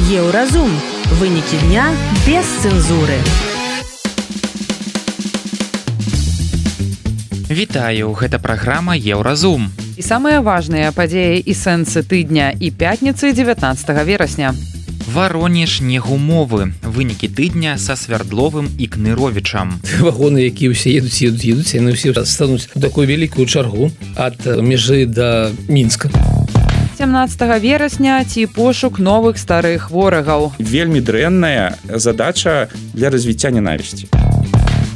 Еўразум. Вынікі дня без цэнзуры. Вітаю, гэта праграма Еўразум. І самыя важныя падзеі і сэнсы тыдня і пятніцы 19 верасня. Варонеж негумовы. Вынікі тыдня са Свярдловым і Кныровічам. Вагоны, якія ўсе едуць, яны ўсе стануць у такую вялікую чаргу ад мяжы да Мінска. 17 верасня ці пошук новых старых ворагаў. Вельмі дрэнная задача для развіцця ненавісці.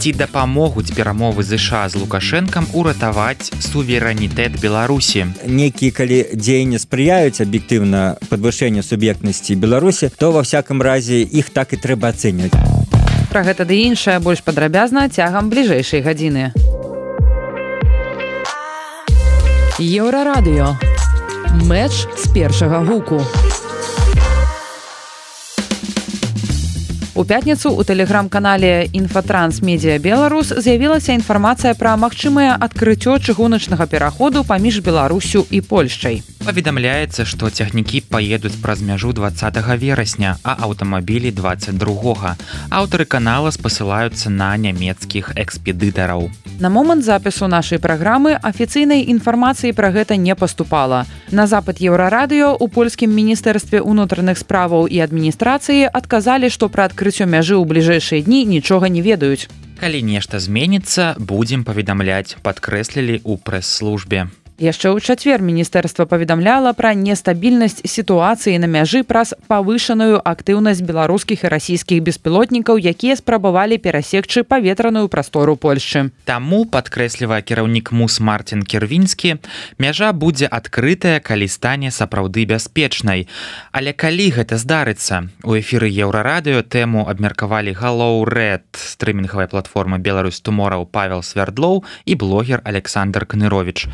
Ці дапамогуць перамовы ЗША з Лукашэнкам уратаваць суверэнітэт Беларусі. Некія, калі дзеянні спрыяюць аб'ектыўна падвышэнню суб'ектнасці Беларусі, то ва всякім разе іх так і трэба ацэньваць. Пра гэта ды іншае больш падрабязна цягам бліжэйшай гадзіны. Еўрарадыё. Мэч з першага гуку. У пятніцу ў тэлеграм-канале «Інфатранс Медіа Беларус» з'явілася інфармацыя пра магчымае адкрыццё чыгуначнага пераходу паміж Беларусю і Польшчай. Паведамляецца, што цягнікі паедуць праз мяжу 20 верасня, а аўтамабілі 22. Аўтары канала спасылаюцца на нямецкіх экспедытараў. На момант запісу нашай праграмы афіцыйнай інфармацыі пра гэта не паступала. На запыт Еўрарадыё у польскім міністэрстве ўнутраных справаў і адміністрацыі адказалі, што пра адкрыццё мяжы ў бліжэйшыя дні нічога не ведаюць. Калі нешта зменіцца, будзем паведамляць, падкрэслілі ў прэс-службе. Яшчэ ў чацвер міністэрства паведамляла пра нестабільнасць сітуацыі на мяжы праз павышаную актыўнасць беларускіх і расійскіх беспілотнікаў, якія спрабавалі перасекчы паветраную прастору Польшчы. Таму, падкрэслівае кіраўнік МУС Мартин Кірвінскі, мяжа будзе адкрытая, калі стане сапраўды бяспечнай. Але калі гэта здарыцца? У эфіры Еўрарадыё тэму абмеркавалі галоўрэд стрымінгавай платформы «Беларусь Tomorrow» Павел Свярдлоў і блогер Александр Кныровіч.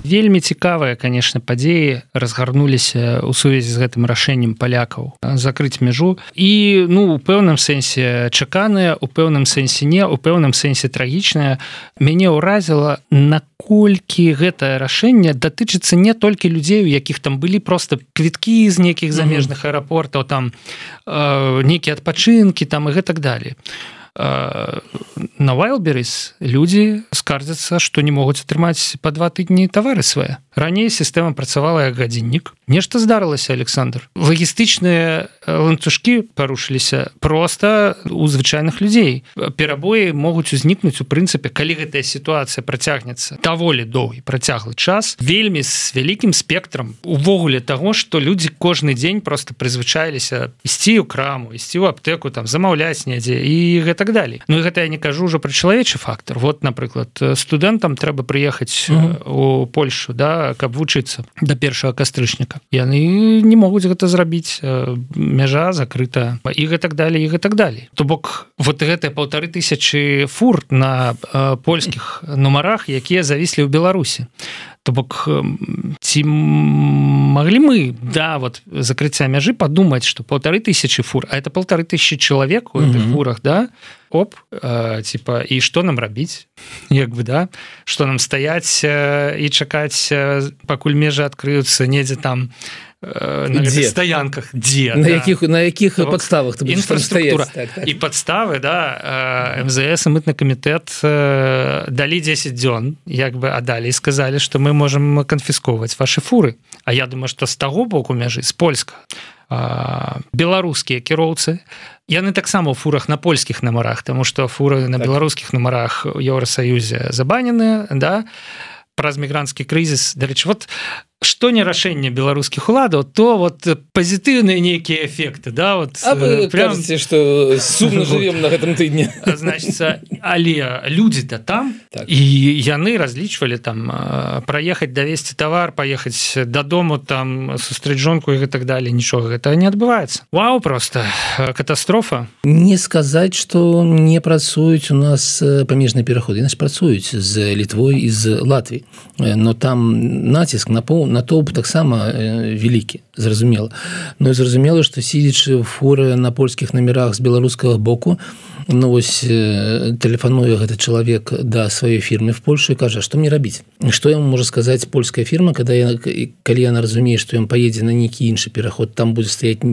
Вельмі цікавыя, конечно, падзеі разгарнуліся ў сувязі з гэтым рашэннем палякаў закрыць мяжу. І, у пэўным сэнсе чаканыя, у пэўным сэнсе не, у пэўным сэнсе трагічнае. Мяне ўразіла, наколькі гэтае рашэнне датычыцца не толькі людзей, у якіх там былі проста квіткі з нейкіх замежных аэрапортаў, там нейкія адпачынкі там і гэтак далей. На Wildberries людзі скардзяцца, што не могуць атрымаць па 2 тыдні тавары свае. Раней сістэма працавала як гадзіннік. Нешта здарылася, Александр. Лагістычныя ланцужкі парушыліся проста у звычайных людзей. Перабоі могуць узнікнуць у прынцыпе, калі гэтая сітуацыя працягнецца даволі доўгі працяглы час, вельмі з вялікім спектрам увогуле таго, што людзі кожны дзень проста прызвычаіліся ісці ў краму, ісці ў аптэку, там замаўляць недзе і гэтак далей. І гэта я не кажу ўжо пра чалавечы фактор. Вот, напрыклад, студэнтам трэба прыехаць у Польшу, да, каб вучыцца да 1 кастрычніка. Яны не могуць гэта зрабіць, мяжа закрыта і гэтак далей, і гэтак далей. То бок, вот гэтыя 1500 фур на польскіх нумарах, якія завіслі ў Беларусі. То бок, ці маглі мы да закрыцця мяжы падумаць, што 1500 фур, а это 1500 чалавек у гэтых фурах, да? І што нам рабіць? Да? Што нам стаяць і чакаць, пакуль межы адкрыюцца недзе там на стаянках, дзе? На якіх падставах ты будзеш там стаяць? І падставы, да, МЗС і мытны камітэт далі 10 дзён, а далей сказалі, што мы можам канфісковаць вашы фуры. А я думаю, што з таго боку мяжы, з польскага, беларускія кіроўцы, яны таксама ў фурах на польскіх нумарах, таму што фуры на беларускіх нумарах у Еўрасаюзе забаненыя, да, праз мігранцкі крызіс. Дарэчы, што не рашэнне беларускіх уладаў, то пазітыўныя нейкія эфекты, да, А вы кажаце, што сумна жывем на гэтым тыдні. Значыцца, але людзі-то там, і яны разлічвалі там праехаць, давесці тавар, паехаць дадому, там сустрэць жонку і гэтак далей, нічога гэтага не адбываецца. Вау, проста катастрофа. Не сказаць, што не працуюць у нас памежныя пераходы. Яны ж працуюць з Літвой і з Латвіяй, но там націск натоўп таксама вялікі, зразумела. Но зразумела, што сидзячы фуры на польскіх номерах з беларускага боку, ну вось тэлефануе гэты чалавек да сваёй фірмы в Польшу і кажа, што мне рабіць, што яму можа сказаць польская фірма, калі яна разумее, што ён паедзе на нейкі іншы пераход, там будзе стаяць,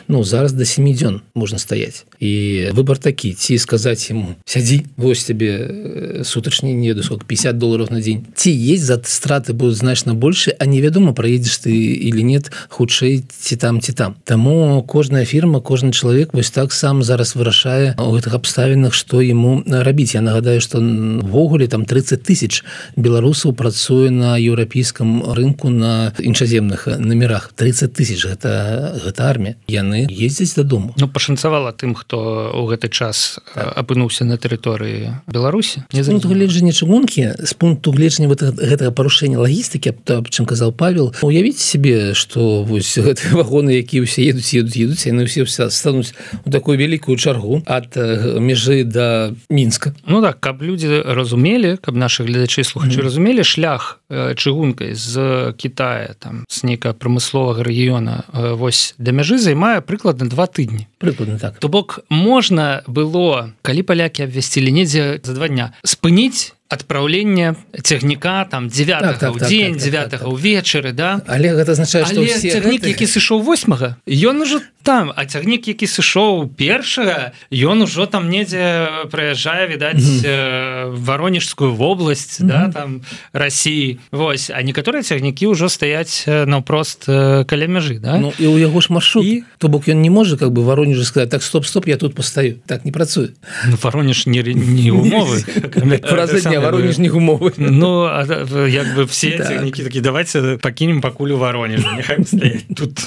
ну зараз до 7 дзён можна стаяць, і выбор такі, ці сказаць ему сядзі, вось тебе сутачні, не ведаю сколько, $50 на дзень, ці есть за страты будуць значна больше, а невядома праедзеш ты или нет, хутчэй ці там. Таму кожная фірма, кожны чалавек вось так сам зараз вырашае у гэтых абставінах, што яму рабіць. Я нагадаю, што ввогуле там 30 000 беларусаў працуе на еўрапейскім рынку на іншаземных номерах. 30 000 гэта армія. Яны ездзяць дадому. Ну пашанцавала тым, хто ў гэты час апынуўся на тэрыторыі Беларусі. З пункту гледжання чыгункі, з пункту гледжання гэтага парушэння лагістыкі, аб чым казаў Павел, уявіце себе, што вось гэтыя вагоны, якія ўсе едуць, яны ўсе стануць у такую вялікую чаргу ад межы да Мінска. Ну так, каб людзі разумелі, каб нашы гледачы і слухачы разумелі, шлях чыгункай з Китая, там, з нейкага прамысловага рэгіёна вось да мяжы займае прыкладна 2 тыдні. Прыкладна так. То бок можна было, калі палякі абвясцілі недзе за 2 дня, спыніць адпраўлення цягніка там 9-го ў дзень, 9-го ўвечары, да? Але гэта азначае, што ўсе... Але цягнік, які сышоў 8-го, ён ужо там, а цягнік, які сышоў 1-го, ён ужо там недзе праязджае, відаць, Воронежскую вобласць, да, там, Расіі. Вось, а некаторыя цягнікі ўжо стаяць наўпрост каля мяжы, да? Ну, і ў яго ж маршрут. То бок ён не можа, как бы, Воронежу сказаць, так, стоп, я тут пастаю. Так не працуе. Ну, Воронеж не умовы. Воронежных умовы. Ну, як бы все цягнікі такі, давайте пакінем пакуль у Воронежу, няхай стаяць тут.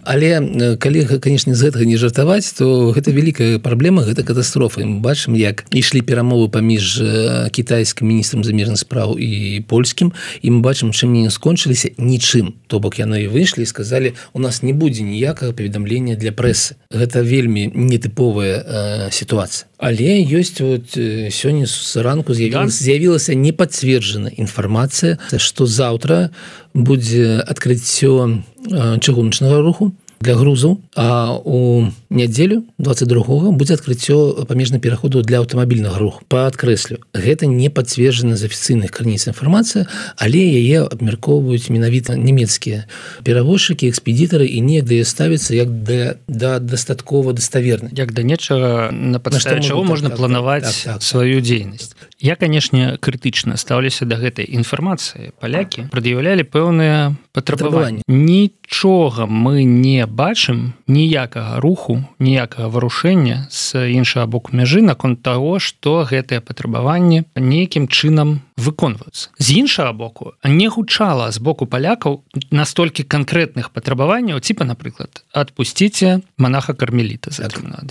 Але, калі, конечно, з гэтага не жартаваць, то гэта вялікая праблема, гэта катастрофа. Мы бачым, як ішлі перамовы паміж кітайскім міністрам замежных спраў і польскім, і мы бачым, чым не скончыліся, нічым. То бок яны выйшлі і сказалі, у нас не будзе ніякага паведамлення для прэсы. Гэта вельмі нетыповая сітуацыя. Але ёсць вот сёння зранку з'явілася непацверджаная інфармацыя, што заўтра будзе адкрыццё чыгуначнага руху для грузаў, а у нядзелю 22-го будзе адкрыццё памежных пераходаў для аўтамабільнага руху. Падкрэслю, гэта не пацверджана з афіцыйных крыніц інфармацыя, але яе абмяркоўваюць менавіта нямецкія перавозчыкі, экспедітары, і неяк да яе ставіцца як да дастаткова даставернай. Як да нечага, на падставе чаго можна планаваць сваю дзейнасць. Я, канешне, крытычна стаўлюся да гэтай інфармацыі. Палякі прад'яўлялі пэўныя патрабаванні. Нічога мы не бачым, ніякага руху, ніякага варушэння з іншага боку мяжы наконт таго, што гэтыя патрабаванні нейкім чынам выконваюцца. З іншага боку, не гучала з боку палякаў настолькі канкрэтных патрабаванняў, типа, напрыклад, адпусціце монаха-кармеліта,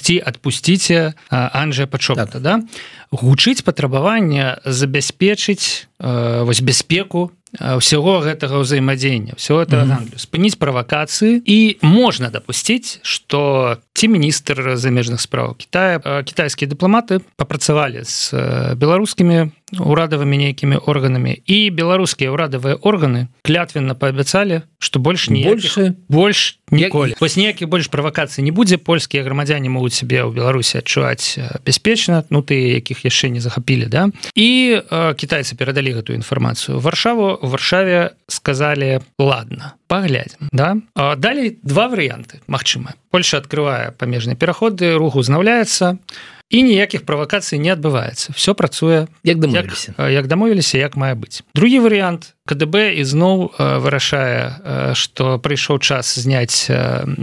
ці адпусціце Анджэя Пачоката, да? Гучыць патрабаванне забяспечыць вось бяспеку ўсяго гэтага ўзаемадзеяння, ўсяго гэтага гандлю, спыніць правакацыі, і можна дапусціць, што ці міністр замежных спраў Китая, кітайскія дыпламаты папрацавалі з беларускімі урадавымі нейкімі органамі, і беларускія урадавыя органы клятвенна паабяцалі, што больш ніколі. Вось ніякіх больш правакацый не будзе, польскія грамадзяне могуць сябе ў Беларусі адчуваць бяспечна, ну тыя, якіх яшчэ не захапілі, да? І кітайцы перадалі гэтую інфармацыю ў Варшаве сказалі, ладно, паглядзім, да? Далей 2 варыянты магчымыя. Польша адкрывае памежныя пераходы, рух узнаўляецца, і ніякіх правакацый не адбываецца. Все працуе як дамовіліся, як мае быць. Другі варыянт, КДБ ізноў вырашае, што прыйшоў час зняць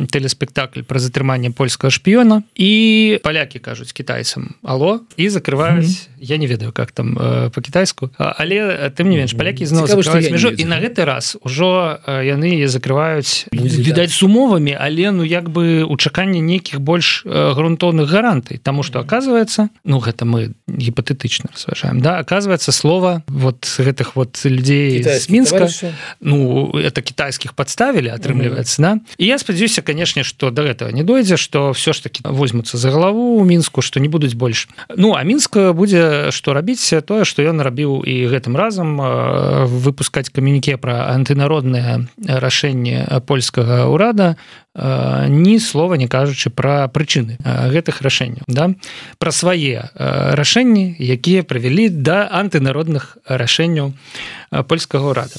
тэлеспектакль пра затрыманне польскага шпіёна, і палякі кажуць кітайцам алло, і закрываюць, я не ведаю, как там па-кітайску, але тым не менш, палякі ізноў закрываюць мяжу, і на гэты раз ужо яны закрываюць, відаць, з умовамі, але ну як бы у чаканні нейкіх больш грунтоўных гарантый, таму што оказывается, ну гэта мы гіпатэтычна разважаем, да, оказывается, слова вот гэтых вот людзей з Мінска. Ну, это китайскіх падставілі, атрымліваецца, да? І я спадзяюся, канешне, што да гэтага не дойдзе, што ўсё ж такі возьмуцца за галаву ў Мінску, што не будуць больш. Ну, а Мінск будзе што рабіць тое, што ён рабіў і гэтым разам, выпускаць камюніке пра антынароднае рашэнне польскага ўрада, ні слова не кажучы пра прычыны гэтых рашэнняў, да? Пра свае рашэнні, якія прывялі да антынародных рашэнняў польскага ўрада.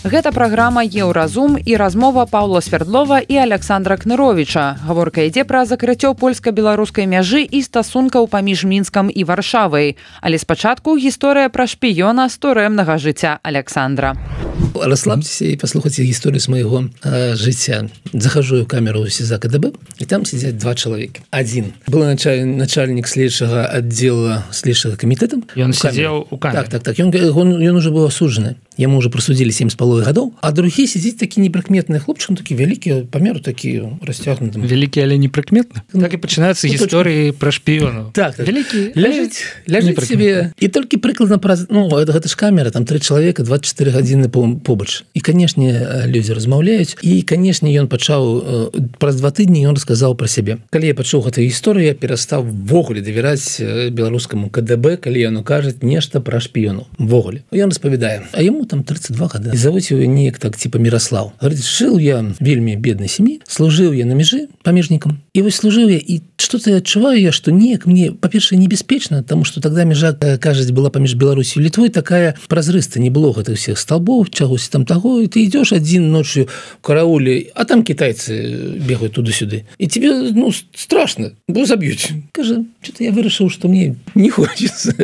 Гэта праграма «Еўразум» і размова Паўла Свердлова і Александра Кныровіча. Гаворка ідзе пра закрыццё польска-беларускай мяжы і стасункаў паміж Мінскам і Варшавай. Але спачатку гісторыя пра шпіёна з турэмнага жыцця Александра. Расслабьтеся и послушайте историю с моего життя. Захожу в камеру СИЗА КДБ, и там сидят два человека. Один был начальник следующего отдела следующего комитета. И он сидел у камеры. Так. Он уже был осужден. Ему уже присудили 7,5 годов. А другие сидят такие неприкметные хлопчики, ну, такие великие, по меру такие растягнутые. Великие, але неприкметные? Так и начинаются истории про шпионов. Так. Великие, ляжите себе. И только прикладно, ну, это ж камера, там 3 человека, 24 годины побач. І, канешне, людзі размаўляюць. І, канешне, ён пачаў праз 2 тыдні ён расказаў пра сябе. Калі я пачуў гэтую гісторыю, я перастаў ввогуле давяраць беларускаму КДБ, калі ён кажа нешта пра шпіёнаў. Ввогуле. Ён распавядае. А яму там 32 гады. І завуць его неяк так, типа Мирослав. Говорит, жил я в вельмі беднай сям'і, служыў я на мяжы памежнікам. І вось служыў я, і что-то адчуваю я, што неяк мне, па-першае, небяспечна, таму што тогда мяжа, кажуць, была паміж Беларусью і Літвой такая празрыста, не было гэтых всех столбов, чагось там того, и ты идешь один ночью в карауле, а там китайцы бегают туда-сюда. И тебе, ну, страшно, бо забьют. Скажи, что-то я вырашил, что мне не хочется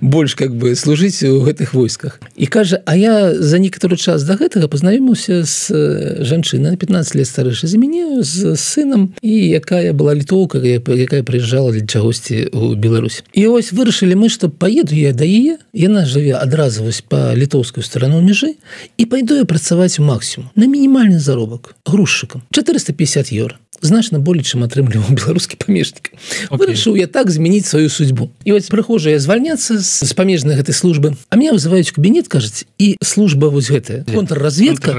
больше как бы служить в этих войсках. И кажа, а я за некоторый час до этого познаёмился с женщиной на 15 лет старейшей за меня, с сыном, и якая была литовка, якая приезжала для чагосьці в Беларусь. И ось вырашили мы, что поеду я до яе, яна живе одразу вось по литовскую сторону межи, и пойду я працаваць у максимум на мінімальны заробак грузчыкам 450 евро. Значна болей, чым атрымліваў беларускі памежнік. Вырашыў я так змяніць сваю судьбу. І вось прыхожу я звальняцца з памежнай гэтай службы, а меня вызываюць у кабінет, кажуць, і служба вось гэтая, контрразведка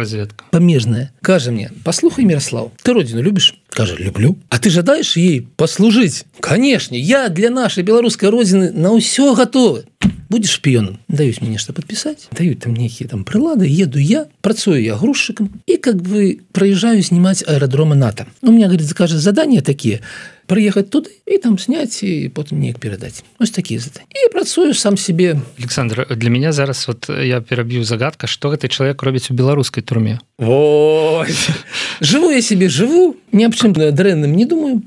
памежная, кажа мне, послухай, Мирослав, ты родину любишь? Кажа, люблю. А ты жадаешь ей послужить? Конечно, я для нашей белорусской родины на ўсё готовы. Будешь шпионом? Дают мне что подписать, дают там некие там прилады, еду я, працую я грузчиком и как бы проезжаю снимать аэродромы НАТО. У меня, говорит, закажет задания такие, приехать туда и там снять, и потом неяк передать. Вот такие задания. И працую сам себе. Александр, для меня зараз вот я перабью загадка, что этот человек робіць у беларускай турме. Вот. Живу я себе, живу, ни об чем дрэнным не думаю.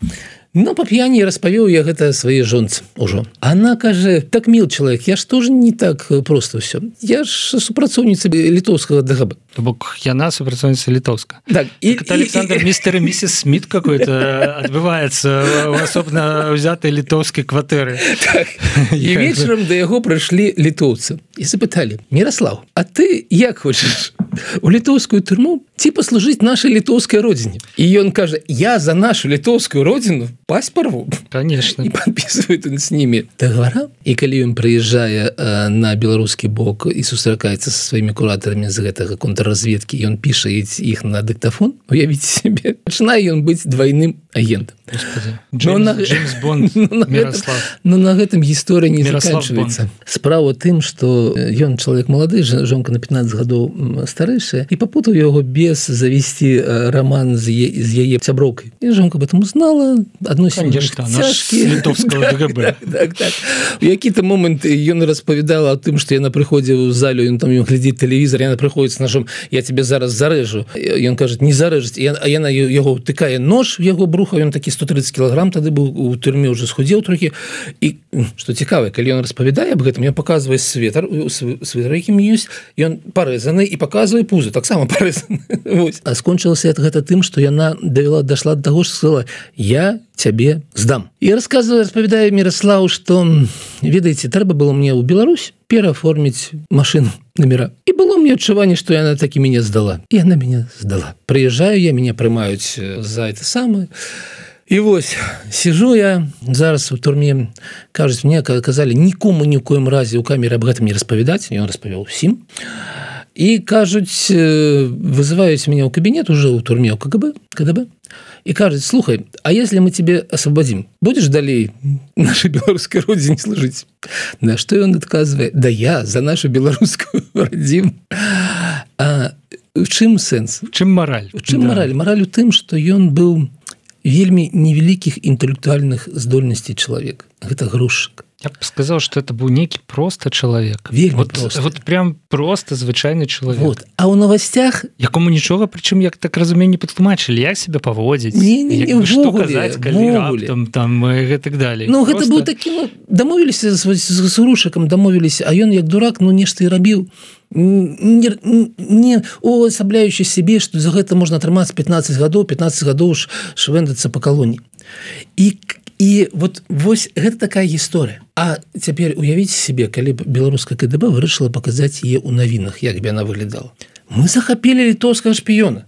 Но по п'яні распавёў я гэта сваёй жонцы ўжо. Она кажа, так мил человек, я ж тоже не так просто все. Я ж супрацоўніца літоўскага ДГБ. То бок яна супрацоўніца літоўска. Так, это Александр мистер и миссис Смит какой-то отбывается в особенно взятой литовской кватэры. Так. И вечером до яго прыйшлі літоўцы и запытали, Мирослав, а ты як хочешь у літоўскую турму ці послужить нашей литовской родине? И он кажа, я за нашу литовскую родину пасть порву. Конечно. И подписывает он с ними договора. И калі он приезжая на беларускі бок и сустракаецца со своими куратарами з гэтага контрразведки, и он піша их на диктофон, уявите себе, начинает он быть двойным агентом. Джеймс Бонд, Мирослав. Но на гэтым гісторыя не заканчивается. Справа тым, что ён человек молодой, жонка на 15 годов старэйшая, и попутал его без завести роман с яе сяброўкай. И жонка об этом узнала, адносіны цяжкія. Літовского ДГБ. Так. У які-то момент ён распавядала о тым, што яна прыходзіла ў залю, ён там глядзіць тэлевізор, яна прыходзіць с ножом, я тебе зараз зарэжу. Ён кажа, не зарэжаць, а яна яго тыкае нож в яго бруха, ён такі 130 килограмм тады быў у турме, уже схудзеў трохі. І што цікава, калі ён распавядае об гэтым, ён паказвае світар, якім ёсць, ён парэзаны і паказвае пузо, таксама парэзаны. А скончылася гэта тым, што яна дайшла да таго, што сказала, я цябе здам. І распавядае Мирослав, што, ведаеце, трэба было мне ў Беларусь перааформіць машину номера. И было мне адчуванне, што яна таки меня сдала. И она меня сдала. Приезжаю я, меня прымаюць за это самое. І вось сижу я зараз у турме, кажуць, мне казалі нікому ні ў коім разе ў камеры аб гэтым не распавядаць, ён распавёў усім. І кажуць, вызываюць меня ў кабінет уже ў турме ў КДБ і кажуць, слухай, а если мы тебе освободим, будешь далей нашей беларускай родине служить? На что ён адказвае, да я за нашу беларускую родину. А в чым сэнс? В чым мараль? В чым мараль? Мараль у тым, што ён быў вельмі невялікіх інтэлектуальных здольнасцей чалавек. Гэта грузчык. Я б сказал, что это был некий просто человек. Вельмі просто. Вот прям просто звычайны человек. Вот. А ў новостях... Якому нічога, причем, як так разумею, не падтлумачылі, як себя паводзіць. Не, что казаць, калі раптам, там, и так далее. Ну, просто... гэта быў такі, дамовіліся з грузчыкам, дамовіліся, а ён як дурак, нешта і рабіў. Не уасабляючы себе, што за гэта можна атрымаць 15 гадоў швэндацца па калоніі. І вот вось гэта такая гісторыя. А цяпер уявіце себе, калі беларуская КДБ вырашыла паказаць яе ў навінах, як бы яна выглядала. Мы захапілі літоўскага шпіёна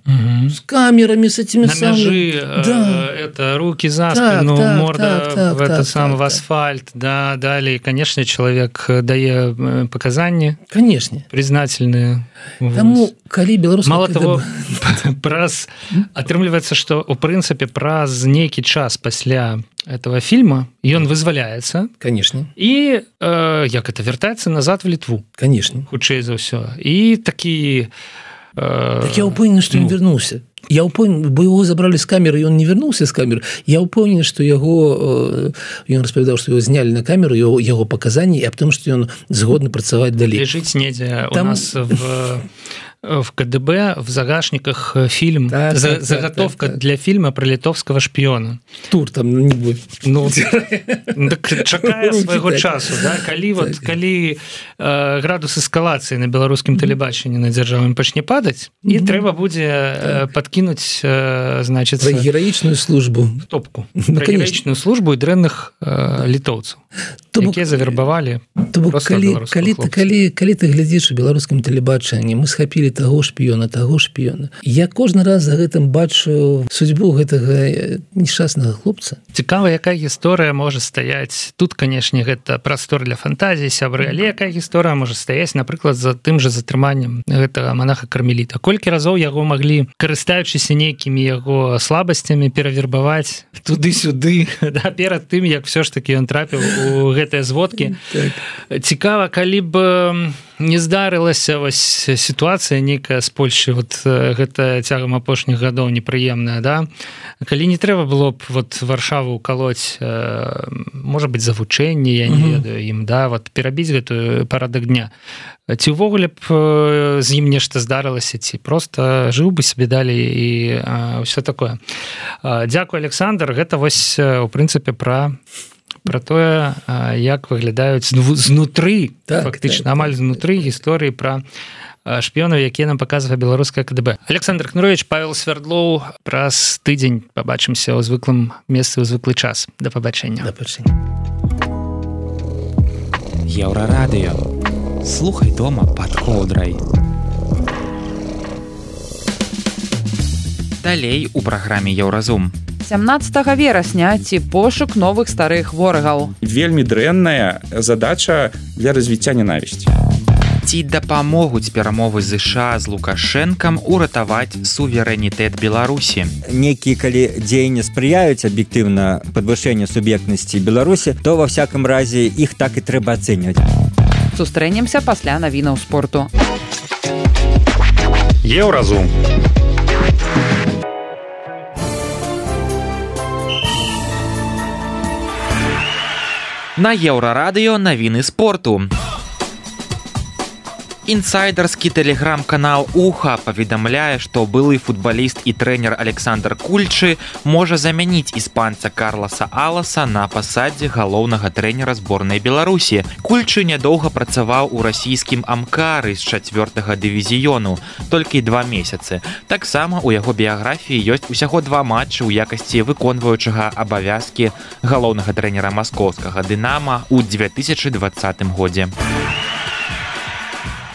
с камерамі, с этими на мяжы, это руки за спину, морда в асфальт, да, далее, конечно, человек дае показания, конечно, признательные. Таму, калі беларуская мало того, атрымліваецца, што у прынцыпе праз нейкі час пасля этого фильма ён вызваляецца, конечно, і як это вяртаецца назад в Літву, конечно, хутчэй за ўсё. І такі так я упэўнены, што ён вярнуўся. Я упэўнены, бо яго забралі з камеры, і ён не вярнуўся з камеры. Я упэўнены, што яго, ён распавядаў, што яго знялі на камеру, яго паказанні, і аб тым, што ён згодны працаваць далей. Лежыць недзе у нас в КДБ в загашниках фильм, заготовка для фильма про литовского шпиона. Тур там не будет. Ну, так чакае свайго часу, да? Калі градус эскалацыі на беларускім тэлебачанні на дзяржаве пачне падаць, і трэба будзе падкінуць, значит, про гераічную службу. Топку. Про гераічную службу і дрэнных літоўцаў, якія завербавалі просто беларускіх хлопцаў. Калі ты глядзіш у беларускім тэлебачанні, мы схапілі таго шпіёна. Я кожны раз за гэтым бачу судьбу гэтага несчаснага хлопца. Цікава, якая гісторыя можа стаяць. Тут, канешне, гэта прастор для фантазіі, сябры, але якая гісторыя можа стаяць, напрыклад, за тым жа затрыманнем гэтага монаха-кармеліта. Колькі разоў яго маглі, карыстаючыся нейкімі яго слабасцямі, перавербаваць туды-сюды, да, перад тым, як все ж таки ён трапіў у гэтыя зводкі. Цікава, калі б не здарылася вось сітуацыя нейкая з Польшчы, вот гэта цягам апошніх гадоў непрыемная, да? Калі не трэба было б вот Варшаву укалоць, можа быць, завучэнне, я не ведаю ім, да, вот перабіць гэтую парадак дня. Ці ўвогуле б з ім нешта здарылася, ці просто жыў бы сабе далей і ўсё такое. Дзякуй, Александр, гэта вось у прынцыпе пра тое, як выглядаюць знутры, фактычна, амаль знутры гісторыі пра шпіёнаў, якія нам паказвае беларуская КДБ. Александр Кнырович, Павел Свердлоў, праз тыдзень пабачымся ў звыклым месцы, ў звыклы час. Да пабачэння. Да пабачэння. Еўрарадыё. Слухай дома пад коўдрай. Далей у праграме Еўразум. 17 верасня ці пошук новых старых ворагаў. Вельмі дрэнная задача для развіцця ненавісці. Ці дапамогуць перамовы ЗША з Лукашэнкам уратаваць суверэнітэт Беларусі. Некія, калі дзеянні спрыяюць аб'ектыўна падвышэнню суб'ектнасці Беларусі, то ва всякім разе іх так і трэба ацэньваць. Сустрэнемся пасля навінаў спорту. Еўразум. На Еўрарадыё навіны спорту. Інсайдерскі тэлеграм-канал Уха паведамляе, што былы футбаліст і трэнер Александр Кульчы можа замяніць іспанца Карласа Аласа на пасадзе галоўнага трэнера зборнай Беларусі. Кульчы нядоўга працаваў у расійскім Амкары з 4-га дывізіёну, толькі 2 месяцы. Таксама у яго біяграфіі ёсць усяго 2 матчы ў якасці выконваючага абавязкі галоўнага трэнера маскоўскага Дынама ў 2020 годзе.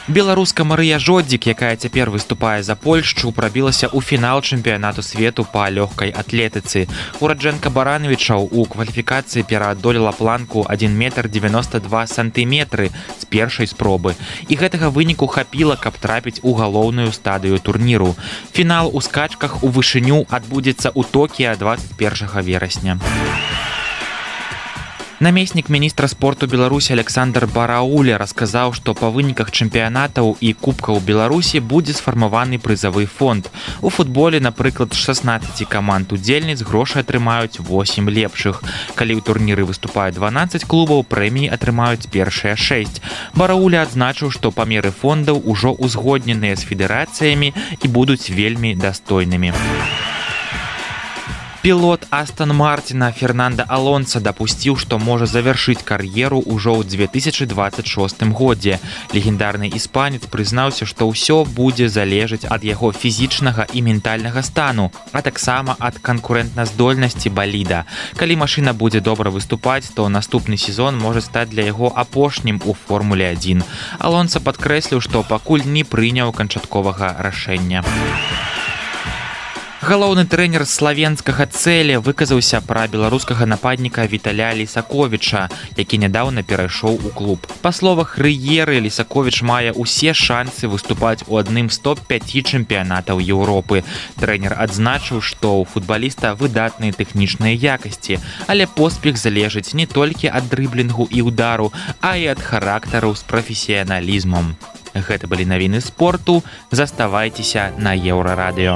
Беларуска Марыя Жодзік, якая цяпер выступае за Польшчу, прабілася ў фінал чэмпіянату свету па лёгкай атлетыцы. Ураджэнка Барановічаў у кваліфікацыі пераадолела планку 1 метр 92 сантыметры з першай спробы. І гэтага выніку хапіла, каб трапіць у галоўную стадыю турніру. Фінал у скачках у вышыню адбудзецца ў Токіа 21 верасня. Намеснік міністра спорту Беларусі Александр Барауля расказаў, што па выніках чэмпіянатаў і кубкаў Беларусі будзе сфармаваны прызавы фонд. У футболе, напрыклад, 16 каманд удзельніц грошы атрымаюць 8 лепшых. Калі ў турніры выступаюць 12 клубаў, прэміі атрымаюць першыя 6. Барауля адзначыў, што памеры фондаў ужо узгодненыя з федэрацыямі і будуць вельмі дастойнымі. Пілот Астон Мартина Фернанда Алонса дапусціў, што можа завяршыць кар'еру ўжо ў 2026 годзе. Легендарны іспанец прызнаўся, што ўсё будзе залежаць ад яго фізічнага і ментальнага стану, а таксама ад канкурэнтназдольнасці баліда. Калі машына будзе добра выступаць, то наступны сезон можа стаць для яго апошнім у Формуле 1. Алонса падкрэсліў, што пакуль не прыняў канчатковага рашэння. Галоўны трэнер славенскага Цэле выказаўся пра беларускага нападніка Віталя Лісаковіча, які нядаўна перайшоў у клуб. Па словах Рыеры, Лісаковіч мае ўсе шансы выступаць у адным з топ-5 чэмпіянатаў Еўропы. Трэнер адзначыў, што ў футбаліста выдатныя тэхнічныя якасці, але поспех залежыць не толькі ад дрыблінгу і ўдару, а і ад характару з прафесіяналізмам. Гэта былі навіны спорту. Заставайцеся на Еўрарадыё.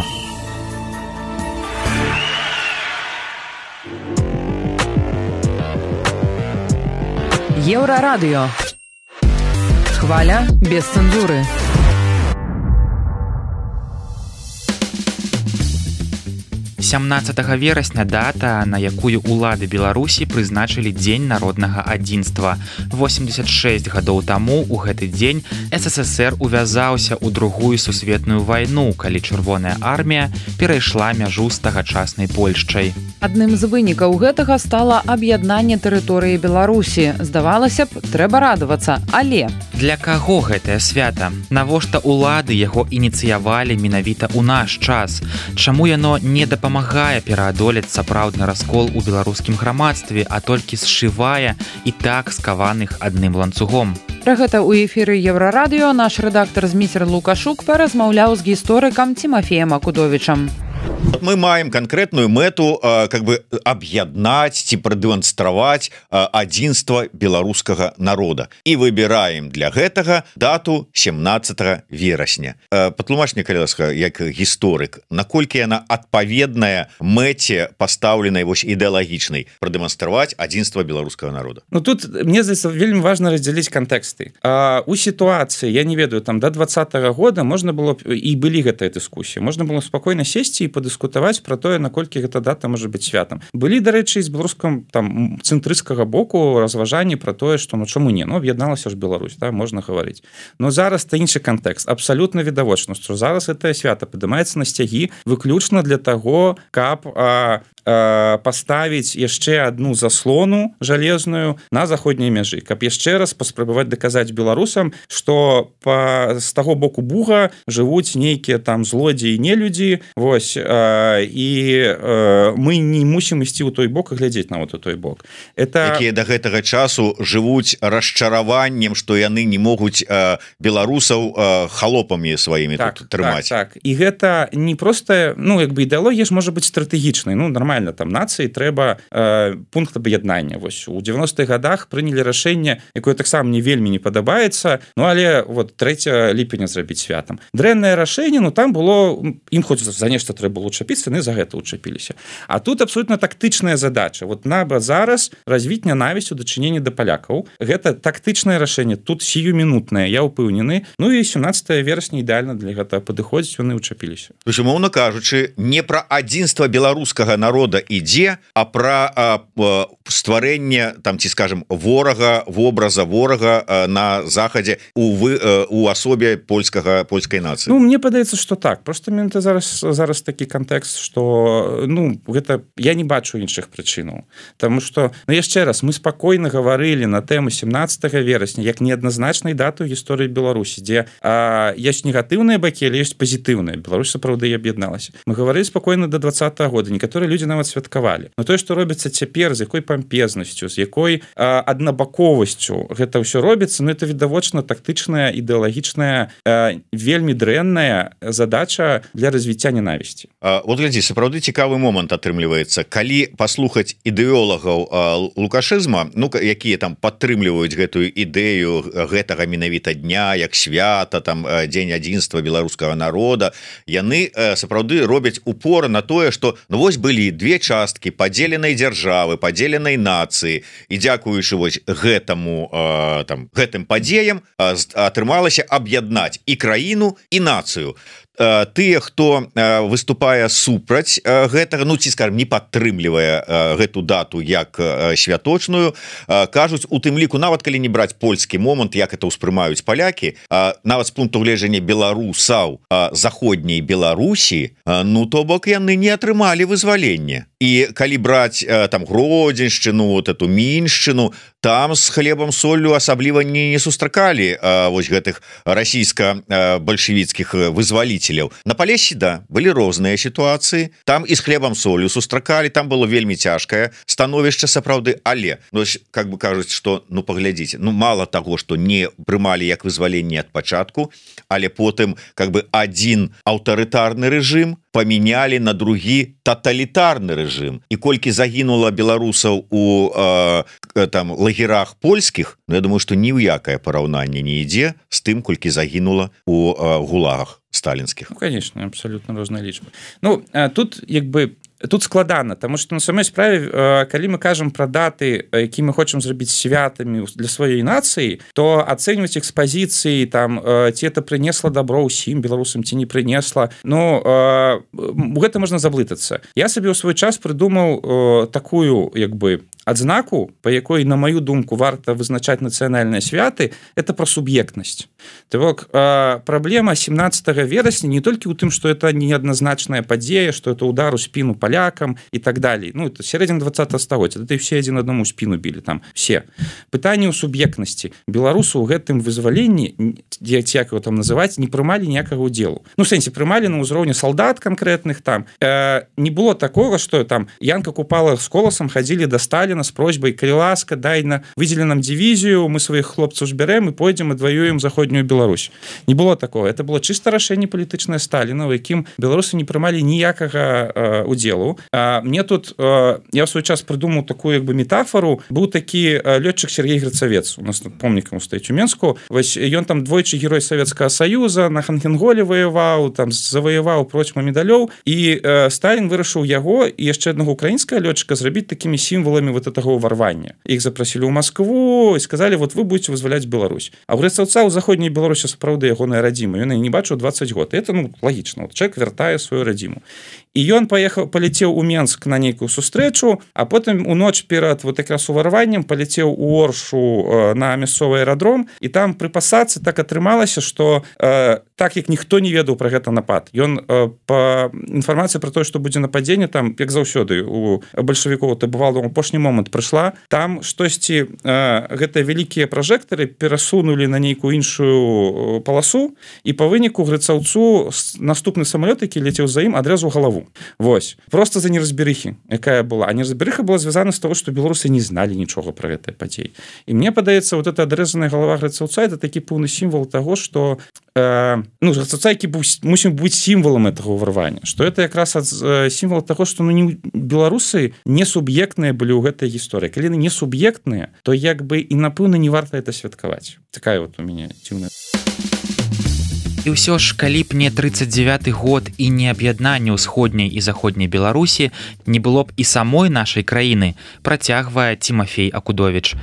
Еўрарадыё. Хваля без цэнзуры. «17 верасня дата, на якую улады Беларусі прызначылі Дзень народнага адзінства. 86 гадоў таму у гэты дзень СССР увязаўся ў Другую сусветную вайну, калі Чырвоная армія перайшла мяжу з тагачаснай Польшчай. Адным з вынікаў гэтага стала аб'яднанне тэрыторыі Беларусі. Здавалася б, трэба радавацца, але... Для каго гэтае свята? Навошта улады яго ініцыявалі менавіта ў наш час? Чаму яно не дапамагае пераадолець сапраўдны раскол у беларускім грамадстве, а толькі сшывае і так скаваных адным ланцугом? Пра гэта ў эфіры Еўрарадыё наш рэдактар Зміцер Лукашук паразмаўляў з гісторыкам Тимофеем Акудовічам. Мы маем конкретную мэту как бы аб'яднаць ці прадэманстраваць адзінства беларускага народа і выбіраем для гэтага дату 17 верасня. Патлумач мне, калі ласка, як гісторык, наколькі яна адпаведная мэце пастаўленай вось ідэалагічнай прадэманстраваць адзінства беларускага народа? Ну тут мне здаецца вельмі важна раздзяліць кантэксты. У сітуацыі, я не ведаю, там до 20-го года можна было і былі гэтыя дыскусіі, можна было спакойна сесці і падыскутаваць пра тое, наколькі гэта дата можа быць святам. Былі, дарэчы, з беларускам там цэнтрысцкага боку разважанні пра тое, што ну чаму не, ну аб'ядналася ж Беларусь, да, можна гаварыць. Но зараз та іншы кантэкст, абсалютна відавочна, што зараз гэтае свята падымаецца на сцягі выключна для таго, каб паставіць яшчэ одну заслону жалезную на заходняй мяжы, каб яшчэ раз паспрабаваць даказаць беларусам, што з таго боку буга жывуць нейкія там злодзеі, нелюдзі, вось, і мы не мусім ісці ў той бок і глядзець на вот у той бок. Якія да гэтага часу жывуць расчараваннем, што яны не могуць беларусаў халопамі сваімі тут трымаць. Так. І гэта не проста, ну, як бы ідэалогія ж можа быць стратэгічнай, ну, нормально, там нацыі трэба пункт аб'яднання. Вось у 90-х годах прынялі рашэнне, якое таксама мне вельмі не падабаецца, ну але вот 3 ліпеня зрабіць святам. Дрэннае рашэнне, ну там было, ім хоць за нешта трэба было учапіцца, яны за гэта учапіліся. А тут абсолютна тактычная задача. Вот наба зараз развіць нянавісць у дачыненні да палякаў. Гэта тактычнае рашэнне, тут сіюмінутнае, я ўпэўнены. Ну і 17 верасня ідэальна для гэтага падыходзіць, яны учапіліся. То есть, умоўна кажучы, не пра адзінства беларускага народа народа ідзе, а пра стварэнне там ці скажем ворага, вобраза ворага на захадзе у асобе польскай нацыі. Ну мне падаецца, што так, просто менты зараз такі кантэкст, што ну гэта я не бачу іншых прычынаў, таму што ну, яшчэ раз мы спакойна гаварылі на тэму 17 верасня як неадназначнай даты ў гісторыі Беларусі, дзе ёсць негатыўныя бакі, але ёсць пазітыўныя. Беларусь сапраўды аб'ядналася. Мы гаварылі спакойна до 20-го года, некаторыя людзі нават святкавалі. Но тое, што робіцца цяпер, з якой пампезнасцю, з якой аднабаковасцю гэта ўсё робіцца, ну это відавочна тактычная, ідэалагічная, вельмі дрэнная задача для развіцця ненавісці. Вот глядзі, сапраўды цікавы момант атрымліваецца. Калі паслухаць ідэолагаў лукашызма, ну якія там падтрымліваюць гэтую ідэю гэтага менавіта дня, як свята, там дзень адзінства беларускага народа, яны сапраўды робяць упор на тое, што ну вось былі две часткі падзеленай дзяржавы, падзеленай нацыі, і дзякуючы вось гэтым падзеям атрымалася аб'яднаць і краіну, і нацыю. Тыя, хто выступае супраць гэтага, ну ці скажем не падтрымлівае гэту дату як святочную, кажуць у тым ліку, нават калі не браць польскі момант, як это ўспрымаюць палякі, нават з пункту гледжання беларусаў заходняй Беларусі, ну то бок яны не атрымалі вызваленне. І калі браць там Гродзеншчыну, вот эту Міншчыну, там з хлебам соллю асабліва не сустракалі вось гэтых расійска-бальшавіцкіх вызваліцеляў. На Палесе, да, былі розныя сітуацыі, там і з хлебам соллю сустракалі, там было вельмі цяжкае становішча сапраўды, але ну, как бы кажуць, што ну паглядзіце, ну мала таго, што не прымалі як вызваленне ад пачатку, але потым как бы адзін аўтарытарны рэжым памянялі на другі таталітарны рэжым. І колькі загінула беларусаў у там лагерах польскіх, ну, я думаю, што ні ў якае параўнанне не ідзе з тым, колькі загінула у гулагах сталінскіх. Ну, конечно, абсолютно розныя лічбы. Ну, тут як бы тут складана, тому што на самой справе, калі мы кажам пра даты, які мы хочам зрабіць святамі для сваёй нацыі, то ацэньваць іх з пазіцыі там ці это прынесла дабро ўсім беларусам, ці не прынесла, ну гэта можна заблытацца. Я сабе ў свой час прыдумаў такую як бы адзнаку, па якой, на маю думку, варта вызначаць нацыянальныя святы, это пра суб'ектнасць. То бок праблема 17 верасня не толькі ў тым, што это неадназначная падзея, што это удар у спіну палякам і так далей. Ну, это сярэдзіна 20 стагоддзя, это все адзін аднаму спіну білі там все. Пытанне ў суб'ектнасці. Беларусы ў гэтым вызваленні, як его там называць, не прымалі ніякага ўдзелу. Ну, в сэнсе, прымалі на ўзроўні салдат канкрэтных там. Не было такога, што там Янка Купала з Коласам хадзілі да Сталіна с просьбой, калі ласка, выдзелі нам дивізію, мы сваіх хлопцаў збярэм і пойдзем адваюем заходнюю Беларусь. Не было такого. Это было чыста рашэнне палітычнае Сталіна, у якім беларусы не прымалі ніякага удзелу. Мне тут я ў свой час прыдумаў такую як бы метафору. Быў такі лётчык Сергей Грацавец, у нас помнікам стаіць у Менску. Вось ён там двойчы герой Савецкага Саюза, на Ханхенголе воеваў, там заваяваў процьма медалёў, і Сталін вырашыў яго і яшчэ аднаго украінскага лётчыка зрабіць такімі сімваламі вот этого ўварвання. Іх запрасілі ў Маскву і сказалі, вот вы будете вызваляць Беларусь. А ў Грацаўца ў заходняй Беларусі сапраўды ягоная радзіма. Ён не бачыў 20 год. Это ну лагічна. Вот чалавек вяртае сваю радзіму. І ён паляцеў у Менск на нейкую сустрэчу, а потым у ноч перад вот якраз уварваннем паляцеў у Оршу на мясцовы аэрадром, і там пры пасадцы так атрымалася, што так як ніхто не ведаў пра гэта напад. Ён па інфармацыі пра тое, што будзе нападзенне, там як заўсёды у бальшавікоў это бывало ў апошні момант прыйшла, там штосьці гэтыя вялікія пражэктары перасунулі на нейкую іншую паласу, і па выніку Грацаўцу наступны самалёт, які ляцеў за ім, адрэзаў галаву. Вось, просто за неразберыхі, якая была. А неразберыха была звязана з того, што беларусы не зналі нічога пра гэтыя падзеі. І мне падаецца, вот эта адрезаная галава Грацаўца, это такі пэўны сімвал таго, што ну, Грацаўца, які мусім быць сімвалам этого ўварвання. Што это якраз сімвал таго, што ну, беларусы не суб'ектныя былі ў гэтай гісторыі. Калі яны не суб'ектныя, то як бы і напэўна не варта это святкаваць. Такая вот у мяне дзіўная. І ўсё ж, калі б не 39-й год і не аб'яднанне ўсходняй і заходняй Беларусі, не было б і самой нашай краіны, працягвае Тимофей Акудович.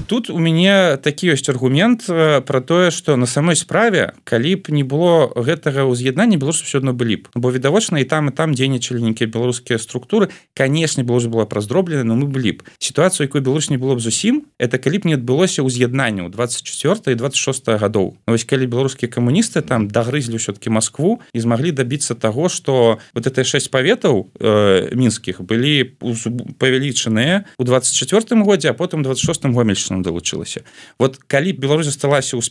Тут у мяне такі ёсць аргумент пра тое, што на самой справе, калі б не было гэтага ўз'яднання, беларусы ўсё адно былі б. Бо відавочна і там дзейнічалі нейкія беларускія структуры. Канешне, Беларусь была празроблена, но мы былі б. Сітуацыю, якой Беларусь не было б зусім, это калі б не адбылося ўз'яднанне ў 24 і 26 гадоў. Вось калі беларускія камуністы там дагрызлі ўсё-таки Москву і змаглі дабіцца таго, што вот это 6 паветаў мінскіх былі павялічаныя ў 24 годзе, а потым 26 Гомельшчына далучылася. Вот калі б Беларусь засталася у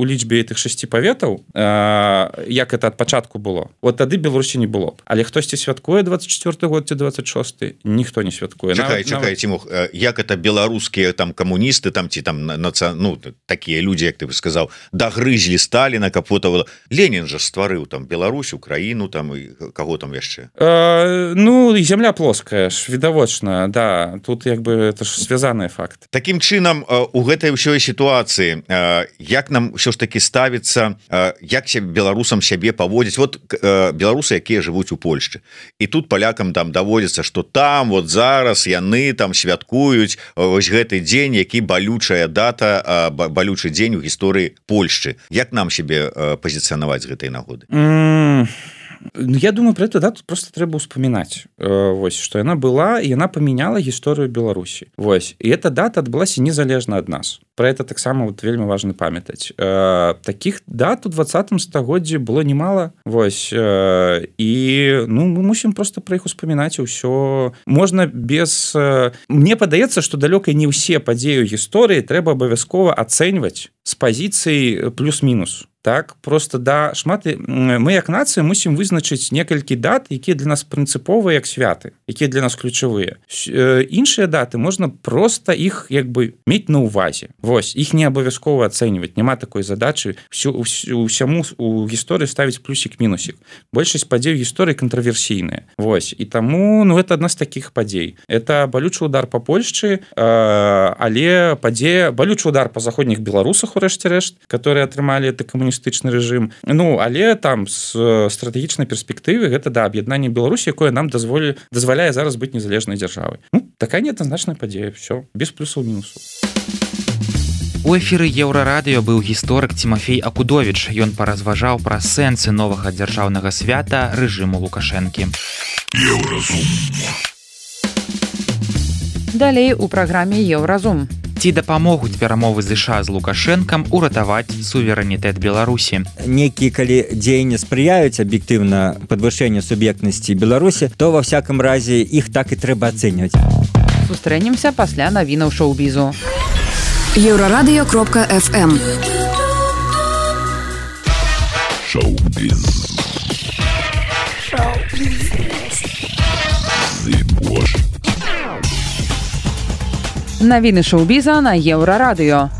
лічбе этих 6 паветаў, як это ад пачатку было, вот тады Беларусі не было б. Але хтосьці святкуе 24 год ці 26, ніхто не святкуе. Чакай, Тимох, як это беларускія там камуністы там ці там такія людзі, як ты сказаў, дагрызлі Сталіна, капотава. Ленін жа стварыў там Беларусь, Украіну там і каго там яшчэ? Ну, зямля плоская ж, відавочна, да, тут як бы это ж звязаныя факты. Такім чынам, у гэтай ўсёй сітуацыі, як нам ўсё ж таки ставіцца, як беларусам сябе паводзіць, вот беларусы, якія жывуць у Польшчы, і тут палякам там даводзіцца, што там вот зараз яны там святкуюць вось гэты дзень, які балючая дата, балючы дзень у гісторыі Польшчы. Як нам сябе пазіцыянаваць з гэтай нагоды? Я думаю, про эту дату просто трэба ўспамінаць. Вось, што яна была, і яна памяняла гісторыю Беларусі. Вось, і эта дата адбылася незалежна ад нас. Про это таксама вот вельмі важна памятаць. Такіх дат у 20 стагоддзі было немало. Вось, і ну, мы мусім просто про іх успамінаць, і ўсё. Можна без... Мне падаецца, што далёка не ўсе падзеі гісторыі трэба абавязкова ацэньваць з пазіцыі плюс-мінус. Так, просто да шматы мы як нацыя мусім вызначыць некалькі дат, якія для нас прынцыповыя як святы, якія для нас ключавыя. Іншыя даты можна просто іх як бы мець на ўвазе. Вось, іх не абавязкова ацэньваць, няма такой задачы усяму у гісторыі ставіць плюсік-мінусік. Большасць падзей гісторыі кантраверсійныя. Вось, і таму, ну, это адна з такіх падзей. Это балючы удар па Польшчы, але падзея, балючы удар па заходніх беларусах у рэшце рэшт, которые атрымалі это камуністычны рэжым. Ну, але там з стратэгічнай перспектывы гэта да аб'яднанне Беларусі, якое нам дазваляе зараз быць незалежнай дзяржавай. Ну, такая неадназначная падзея, все, без плюсаў-мінусаў. У эфіры Еўрарадыё быў гісторык Тимофей Акудович. Ён паразважаў пра сэнсы новага дзяржаўнага свята рэжыму Лукашэнкі. Далей у праграме Еўразум. Ці дапамогуць перамовы ЗША з Лукашэнкам уратаваць суверэнітэт Беларусі. Некія калі дзеянні спрыяюць аб'ектыўна падвышэнню суб'ектнасці Беларусі, то ва всякім разе іх так і трэба ацэньваць. Сустрэнемся пасля навінаў шоу-бізу. Еврорадио.FM Шоу-біз. Навіны шоу-біза на Еўрарадыё.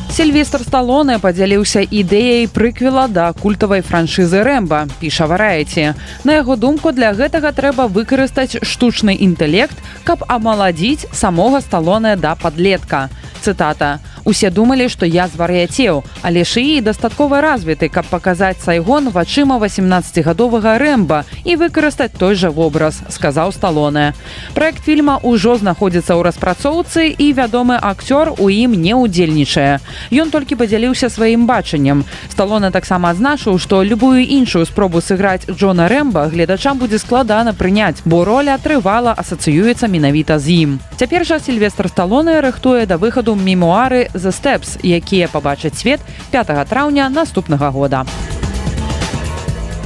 Сільвестр Сталоне падзяліўся ідэяй прыквела да культавай франшызы «Рэмба», піша Варайці. На яго думку, для гэтага трэба выкарыстаць штучны інтэлект, каб амаладзіць самога Сталоне да падлетка. Цытата. «Усе думалі, што я звар'яцеў, але шыі дастаткова развіты, каб паказаць Сайгон вачыма 18-гадовага Рэмба і выкарыстаць той жа вобраз», сказаў Сталоне. Праект фільма ўжо знаходзіцца ў распрацоўцы і вядомы акцёр у ім не ўдзельнічае. Ён толькі падзяліўся сваім бачаннем. Сталоне таксама адзначыў, што любую іншую спробу сыграць Джона Рэмба гледачам будзе складана прыняць, бо роля трывала асацыюецца менавіта з ім. Цяпер жа Сільвестр Сталоне рыхтуе да выхаду мемуары «The Steps», якія пабачаць свет 5 траўня наступнага года.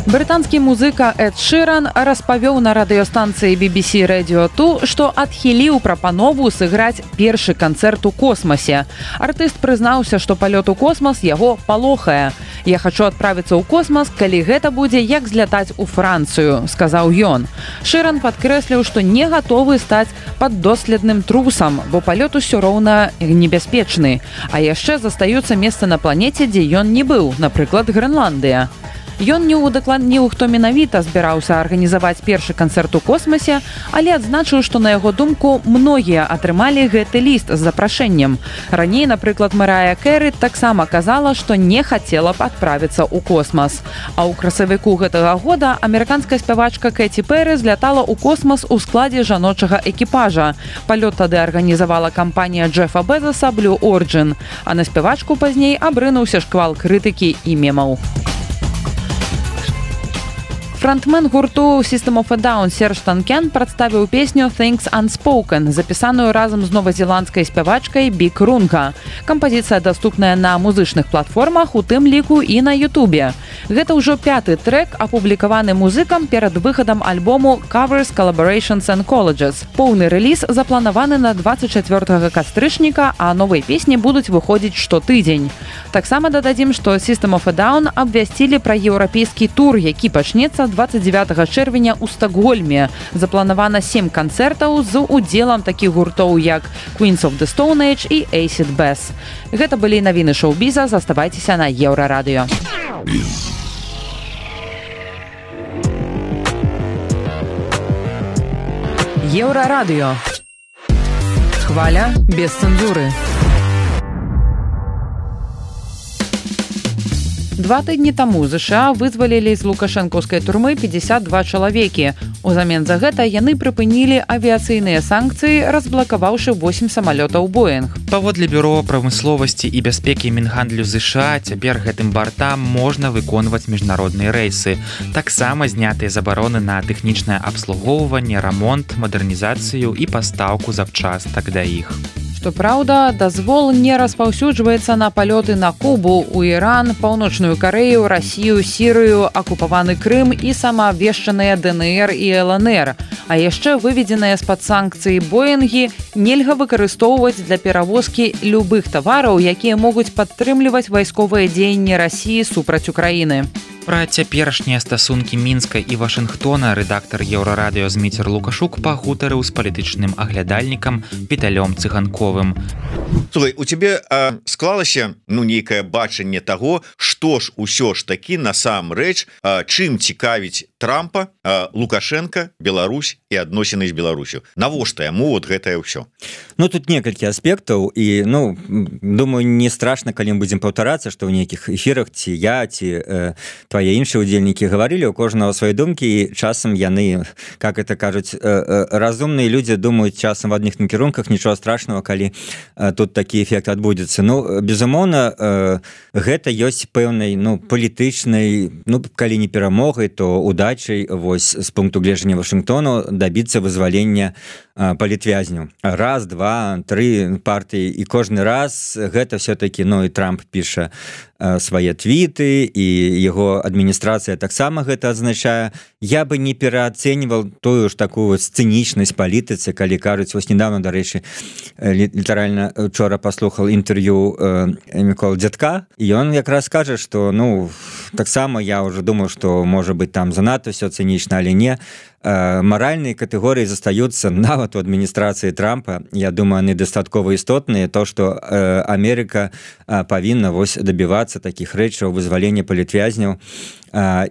Брытанскі музыка Эд Ширан распавёў на радыёстанцыі BBC Radio 2, што адхіліў прапанову сыграць першы канцэрт у космасе. Артыст прызнаўся, што палёт у космас яго палохае. «Я хачу адправіцца ў космас, калі гэта будзе як злятаць у Францыю», сказаў ён. Ширан падкрэсліў, што не гатовы стаць паддоследным трусам, бо палёт усё роўна небяспечны. А яшчэ застаюцца месцы на планеце, дзе ён не быў, напрыклад, Грэнландыя. Ён не удакладніў, хто менавіта збіраўся арганізаваць першы канцэрт у космасе, але адзначыў, што на яго думку многія атрымалі гэты ліст з запрашэннем. Раней, напрыклад, Марая Кэры таксама казала, што не хацела б адправіцца ў космас. А ў красавіку гэтага года амерыканская спявачка Кэці Пэры злятала ў космас у складзе жаночага экіпажа. Палёт тады арганізавала кампанія Джефа Безоса Blue Origin, а на спявачку пазней абрынуўся шквал крытыкі і мемаў. Фронтмен гурту System of a Down Серж Танкен прадставіў песню Things Unspoken, запісаную разам з новазеландскай спявачкай Бік Рунка. Кампазіцыя даступная на музычных платформах, у тым ліку і на Ютубе. Гэта ўжо 5-ты трэк, апублікаваны музыкам перад выхадам альбому Covers, Collaborations and Colleges. Поўны рэліз запланаваны на 24 кастрычніка, а новыя песні будуць выходзіць штотыдзень. Таксама дададзім, што System of a Down абвясцілі пра еўрапейскі тур, які пачнецца 29 чэрвеня ў Стакгольме. Запланавана 7 канцэртаў з удзелам такіх гуртоў, як Queens of the Stone Age і Acid Bass. Гэта былі навіны шоу-біза, заставайцеся на Еўрарадыё. Еўрарадыё. Хваля без цэнзуры. 2 тыдні таму ЗША вызвалілі з лукашэнкаўскай турмы 52 чалавекі. Узамен за гэта яны прыпынілі авіяцыйныя санкцыі, разблакаваўшы 8 самалётаў Боинг. Паводле бюро прамысловасці і бяспекі Мінгандлю ЗША цяпер гэтым бартам можна выконваць міжнародныя рэйсы. Таксама знятыя забароны на тэхнічнае абслугоўванне, рамонт, мадэрнізацыю і пастаўку запчастак да іх. Што праўда, дазвол не распаўсюджваецца на палёты на Кубу, у Іран, Паўночную Карэю, Расію, Сірыю, акупаваны Крым і самаабвешчаныя ДНР і ЛНР. А яшчэ выведзеныя з-пад санкцыі Боингі нельга выкарыстоўваць для перавозкі любых тавараў, якія могуць падтрымліваць вайсковыя дзеянні Расіі супраць Украіны. Пра цяперашнія стасункі Мінска і Вашынгтона рэдактар Еўрарадыё Зміцер Лукашук пагутарыў з палітычным аглядальнікам Віталём Цыганковым. Слухай, у цябе склалася нейкае бачанне таго, што ж усё ж такі насамрэч чым цікавіць Трампа, Лукашенко, Беларусь і адносіны з Беларусю. Навошта яму вот гэтае ўсё? Ну тут некалькі аспектаў і думаю, не страшна, калі мы будзем паўтарацца, што ў нейкіх эфірах ці я, ці твае іншыя удзельнікі гаварылі, у кожнага свае думкі, і часам яны, как это кажуць, разумныя людзі думаюць часам в адных накірунках, нічога страшного, калі тут такі эфект адбудзецца. Безумоўна, гэта ёсць пэўнай палітычнай, калі не перамогай, то удачай вось з пункту гледжання Вашынгтону дабіцца вызвалення палітвязняў. Раз, два, тры партыі, і кожны раз гэта все-таки, і Трамп піша свае твіты, і яго адміністрацыя таксама гэта адзначае. Я бы не пераацэньваў тую ж такую цынічнасць палітыцы, калі кажуць, вось недавно, дарэчы, літаральна учора паслухаў інтэрв'ю Мікола Дзядка, і ён якраз кажа, што таксама я ўжо думаю, што можа быць там занадта ўсё цынічна, але не. Маральныя катэгорыі застаюцца нават у адміністрацыі Трампа. Я думаю, яны дастаткова істотныя, то, што Амерыка павінна дабівацца такіх рэчаў, вызвалення палітвязняў.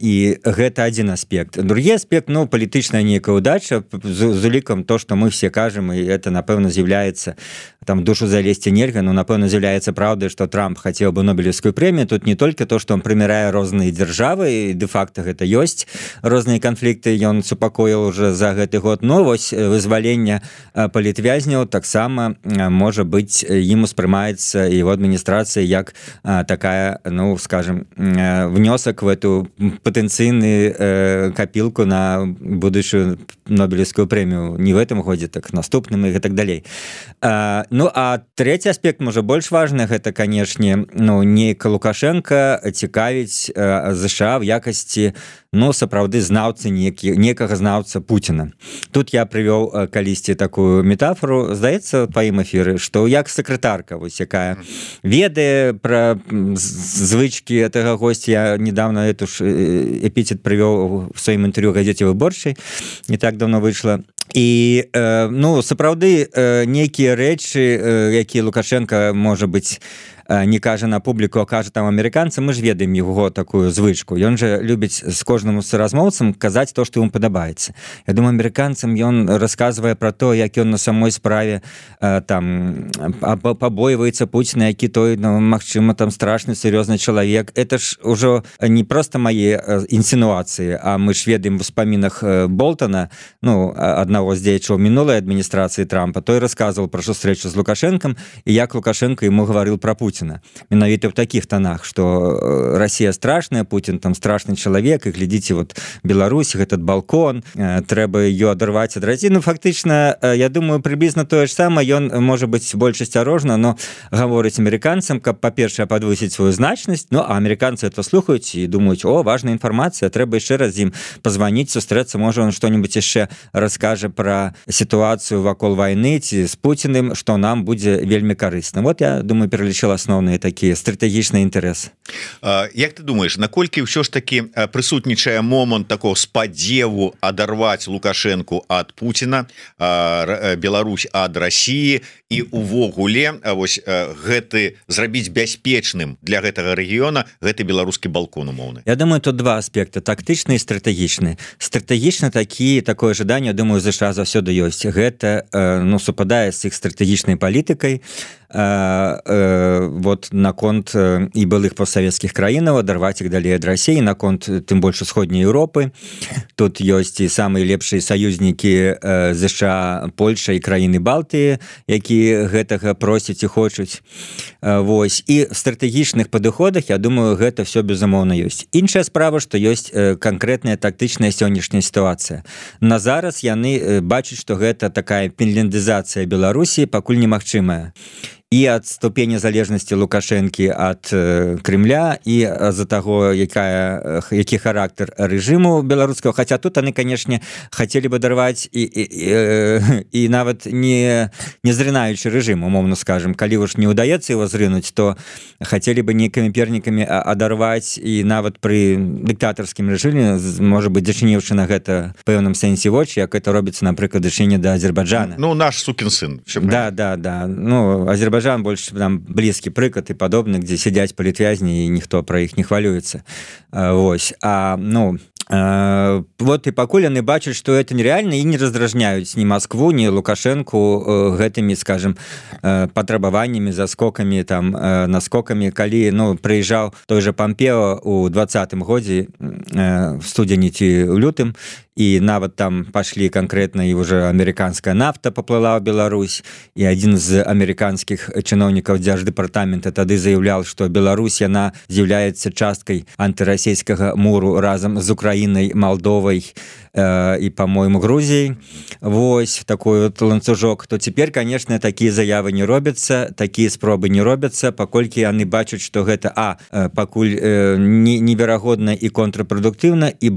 І гэта адзін аспект. Другі аспект, палітычная нейкая удача, з улікам то, што мы все кажам, і это, напэўна, з'яўляецца, там душу залезці нельга, напэўна, з'яўляецца праўдай, што Трамп хацеў бы Нобелевскую прэмію. Тут не толькі то, што он прымірае розныя дзяржавы, і дэ-факта гэта ёсць розныя канфлікты, ён супакоіў уже за гэты год, вось вызвалення палітвязняў таксама можа быць, ім успрымаецца і ў адміністрацыі як такая, скажем, внёсак в эту патэнцыйную капілку на будучую Нобелевскую прэмію не в этом годзе, так наступным і так далей. А трэці аспект, можа, больш важны, гэта, канешне, нейка Лукашенко цікавіць ЗША в якасці сапраўды знаўцы, некага знаўца Пуціна. Тут я прывёў калісьці такую метафору, здаецца, па ім эфіры, што як сакратарка, якая ведае пра звычкі гэтага госця. Я недавно эту ж эпітет прывёў в сваім інтэрв'ю газеце «Выборчай», не так давно выйшла. і ну сапраўды нейкія рэчы якія Лукашенко можа быць не кажа на публіку, а кажа там амерыканцам, мы ж ведаем яго такую звычку. Ён жа любіць з кожным суразмоўцам казаць то, што ім падабаецца. Я думаю, амерыканцам ён расказвае пра то, як ён на самой справе там пабойваецца Пуціна, які той, ну, магчыма, там страшны сур'ёзны чалавек. Это ж ужо не проста мае інсінуацыі, а мы ж ведаем в успамінах Болтона, ну, аднаго з дзеячаў мінулай адміністрацыі Трампа, той расказваў пра сустрэчу з Лукашэнкам і як Лукашенко яму гаварыў пра Пуціна. Менавіта ў такіх тонах, што Расія страшная, Путін там страшны чалавек, і глядзіце, вот Беларусь, гэтат балкон, трэба ее адарваць ад Расіі. Ну, фактычна, я думаю, прыблізна тое ж самае, ён можа быць больш асцярожна, но гаворыць амерыканцам, каб, па-першае, падвысіць сваю значнасць, ну, а амерыканцы это слухаюць і думаюць, о, важная інфармацыя, трэба яшчэ раз ім пазваніць, сустрэцца, можа, он што-нибудь яшчэ раскажа пра сітуацыю вакол вайны ці з Пуціным, што нам будзе вельмі карысна. Вот, я думаю, пералічыла основныя такія стратэгічныя інтарэсы. Як ты думаеш, наколькі ўсё ж такі прысутнічае момант такого спадзеву адарваць Лукашэнку ад Пуціна, Беларусь ад Расіі і увогуле вось гэты зрабіць бяспечным для гэтага рэгіёна гэты беларускі балкон умоўны? Я думаю, тут два аспекты, тактычны і стратэгічны. Стратэгічна такое жаданне, думаю, ЗША заўсёды ёсць. Гэта ну, супадае з іх стратэгічнай палітыкай, вот наконт і былых постсавецкіх краінаў адарваць іх далей ад Расіі, наконт тым больш усходняй Еўропы. Тут ёсць і самыя лепшыя саюзнікі ЗША, Польша і краіны Балтыі, якія гэтага просяць і хочуць. Вось. І в стратэгічных падыходах, я думаю, гэта все безумоўна ёсць. Іншая справа, што ёсць канкрэтная тактычная сённяшняя сітуацыя. На зараз яны бачаць, што гэта такая фінляндызацыя Беларусі пакуль немагчымая. І ад ступені залежнасці Лукашэнкі ад Крымля, і з-за таго, які характар рэжыму беларускага. Хаця тут яны, канешне, хацелі бы дарваць і нават не зрынаючы рэжым, умоўна скажем. Калі ўж не ўдаецца его зрынуць, то хацелі бы нейкімі пернікамі адарваць, і нават пры дыктатарскім рэжыме, можа быць, зачыніўшы на гэта в пэўным сэнсе вочы, як это робіцца, напрыклад, зачыне да Азербайджана. Ну, наш сукін сын. Да. Ну, Азербайджан больш там блізкі прыклад і падобны, дзе сядзяць палітвязні, і ніхто пра іх не хвалюецца. Вось. Ну, вот і пакуль яны бачаць, што это нереальна, і не раздражняюць ні Маскву, ні Лукашэнку гэтымі, скажем, патрабаваннямі, заскокамі, там, наскокамі. Калі, ну, прыязджаў той же Помпео ў 20-м годзе, в студзені ці ў лютым, і нават там пашлі канкрэтна, і уже амерыканская нафта паплыла ў Беларусь, і адзін з амерыканскіх чыноўнікаў дзярждэпартамента тады заяўляў, што Беларусь, яна з'яўляецца часткай антырасійскага муру разам з Украінай, Малдовай і, па-мойму, Грузіяй. Вось такой вот ланцужок. То цяпер, конечно, такія заявы не робяцца, такія спробы не робяцца, паколькі яны бачаць, што гэта пакуль неверагодна і контрпрадуктыўна, і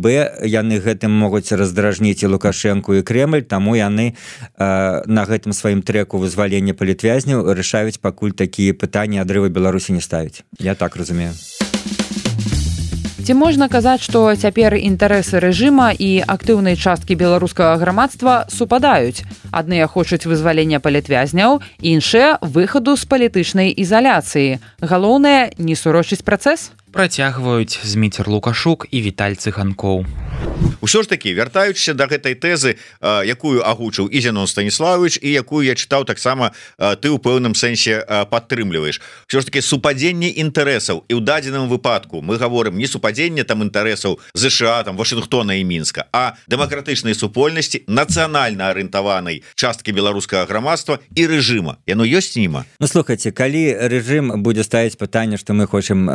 яны гэтым могуць раздражніць і Лукашэнку, і Кремль, таму яны на гэтым сваім трэку вызвалення палітвязняў рашаюць пакуль такія пытанні адрыву Беларусі не ставіць. Я так разумею. Ці можна казаць, што цяпер інтарэсы рэжыма і актыўнай часткі беларускага грамадства супадаюць? Адныя хочуць вызвалення палітвязняў, іншыя выхаду з палітычнай ізаляцыі. Галоўнае, не сурочыць працэс? Працягваюць Зміцер Лукашук і Віталь Цыганкоў. Усё ж такі, вяртаючыся да гэтай тэзы, якую агучыў і Зенон Станіславович, і якую я чытаў таксама, ты ў пэўным сэнсе падтрымліваеш. Усё ж такі супадзенне інтарэсаў, і ў дадзеным выпадку мы гаворым не супадзенне там інтарэсаў ЗША, там Вашынгтона і Мінска, а дэмакратычнай супольнасці, нацыянальна арыентаванай часткі беларускага грамадства і рэжыма. Яно ёсць німа? Ну, слухайце, калі рэжым будзе ставіць пытанне, што мы хочам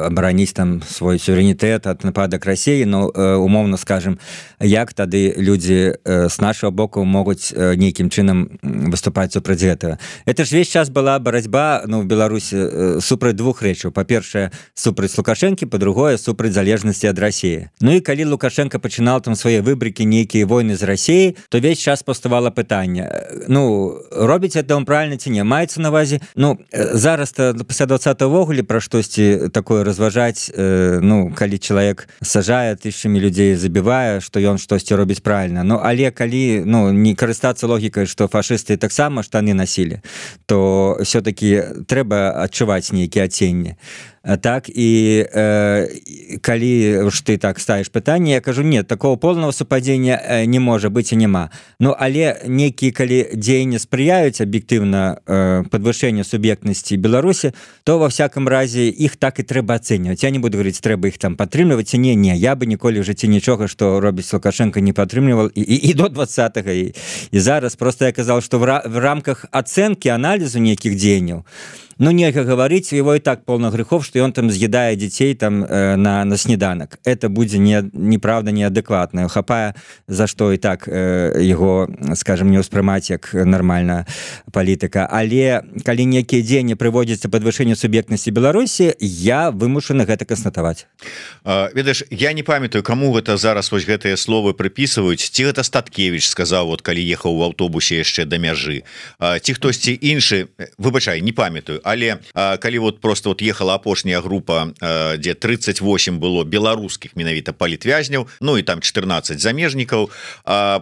абараніць там свой суверэнітэт ад нападак Расіі, ну, умоўна скажем, як тады людзі з нашага боку могуць нейкім чынам выступаць супраць гэтага. Это ж весь час была барацьба, ну, в Беларусі супраць двух рэчаў. Па-першае, супраць Лукашэнкі, па-другое, супраць залежнасці ад Расіі. Ну і калі Лукашенко пачынаў там свае выбрыкі, нейкія войны з Расіяй, то весь час паўставала пытанне. Ну, робіць это он правильно ці не? Маецца на ўвазе? Ну, зараз-то пасля 20-го вогуле пра штосьці такое разважаць, ну, калі чалавек сажае тысячамі людзей і забівае што ён штосьці робіць правильно. Ну але калі не карыстацца логікай што фашысты таксама штаны насілі, то все-таки трэба адчуваць нейкія адценні. Так і калі ж ты так ставіш пытанне, я кажу нет, такого полного супадзення не можа быць і няма. Ну але нейкія калі дзеянні спрыяюць аб'ектыўна падвышэнню суб'ектнасці Беларусі, то ва всяком разе іх так і трэба ацэньваць. Я не буду говорить трэба іх там падтрымліваць, не, я бы ніколі ў жыцці нічога што робіць Лукашенко не падтрымліваў і до 20-го і зараз просто я казал што в рамках ацэнкі аналізу нейкіх дзеянняў нельга говорить, его и так полно грехов, что он там съедает детей там на снеданок. Это будет неправда, неадекватно. Хапая за что и так его, скажем, не успрымать как нормальная политика. Але коли некие дзеянні приводятся к подвышению субъектности Беларуси, я вымушаны гэта констатовать. Ведаеш, я не памятаю, кому гэта зараз вось гэтыя словы приписываюць. Ці гэта Статкевич сказал, вот калі ехаў в автобусе яшчэ до мяжы. Ці хтосьці іншы, выбачай, не памятаю. Але калі вот просто вот ехала апошняя група, дзе 38 было беларускіх менавіта палітвязняў, ну і там 14 замежнікаў,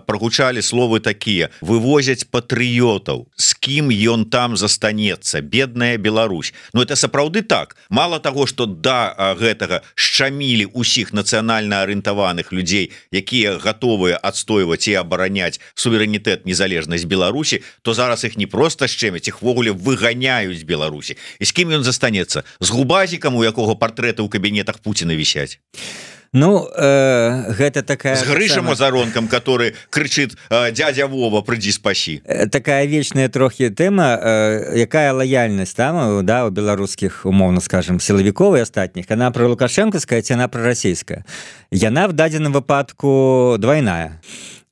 прогучалі словы такія: вывозяць патрыётаў, з кім ён там застанецца, бедная Беларусь. Ну это сапраўды так. Мало того, что да гэтага шчамілі усіх нацыянальна арыентаваных людзей, якія гатовыя адстойваць і абараняць суверэнітэт, незалежнасць Беларусі, то зараз іх не просто шчэмяць, іх ввогуле выганяюць Беларусі. І з кім ён застанецца? З губазікам, у якога партрэты ў кабінетах Пуціна вісяць? Ну, гэта такая... С Грышем Азаронком, который кричит: дядя Вова, приди спаси. Такая вечная трохи тема, якая лояльность там, да, у белорусских, умовно скажем, силовиков и остатних. Она про Лукашенковская, ці она про российская. Яна в дадзеным выпадку двойная.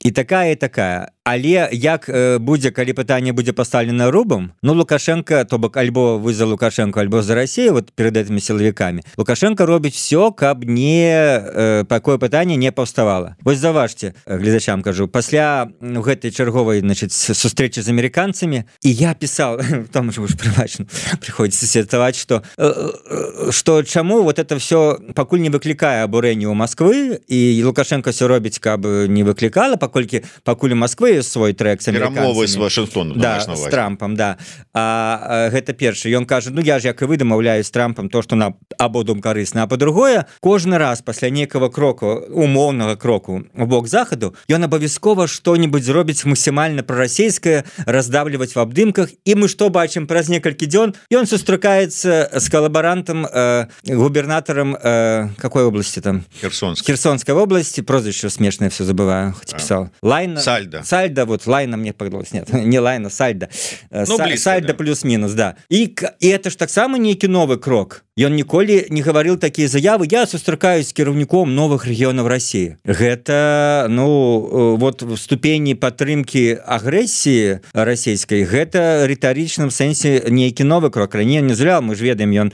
І такая. Але як будзе, калі пытанне будзе пастаўлена рубам, Лукашенко, то бок альбо вы за Лукашенко, альбо за Россию, вот перед этими силовиками, Лукашенко робіць все, каб такое пытанне не паўставала. Вось заважце, гледачам кажу, пасля гэтай чарговай, значит, сустрэчы з американцамі, і я писал, там же уж прывачна приходится сетаваць, что чаму вот это все пакуль не выклікае абурэнне ў Москвы, і Лукашенко все робіць, каб не выклікала, пакуль у Москвы свой трек с американцами. С Вашингтоном. Да, с Трампом, да. Гэта першы. Ён кажа, я ж як і вы дамаўляюсь з Трампом то, што нам абодвум карысна, а па-другое, кожны раз пасля нейкага кроку, умоўнага кроку у бок захаду, ён абавязкова што-нибудь зробіць максімальна прарасійскае, раздавліваць в абдымках, і мы што бачым праз некалькі дзён, ён сустракаецца з калабарантам, губернатором какой области там? Херсонской области, прозвище смешное все забываю, хоть писал. Сальдо, вот Лайна мне погадалось, нет, не Лайна, Сальдо. Сальдо да. Плюс-минус, да. И это ж так само некий новый крок. Ён ніколі не гаварыў такія заявы: я сустракаюсь з кіраўніком новых рэгіёнаў России. Гэта, вот в ступені падтрымкі агрэсіі расійскай, гэта рытарычным сэнсе нейкі новы крок. Раней не зря, мы ж ведаем, ён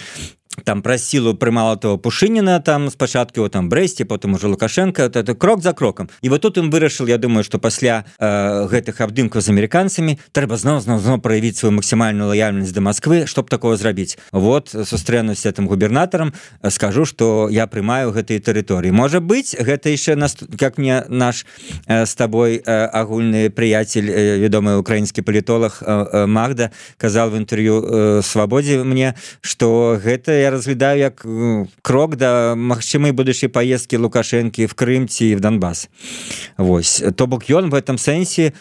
там про силу прымала того Пушыніна, там спачатку его там Брэсце, потом уже Лукашенко, это крок за кроком. І вот тут им вырашил, я думаю, что пасля гэтых абдымкаў з американцамі трэба зноў проявіць свою максимальную лояльность до Москвы, чтоб такого зрабіць. Вот сустрэнусь с этим губернатором, скажу, что я прымаю гэтые территории. Может быть, гэта еще, как мне наш с тобой агульный приятель, вядомый украинский политолог Магда казал в интервью Свободе мне, что гэта я разглядаю як крок да магчымай будучай паездкі Лукашэнкі в Крым ці в Донбасс. Вось. То бок ён в этом сэнсе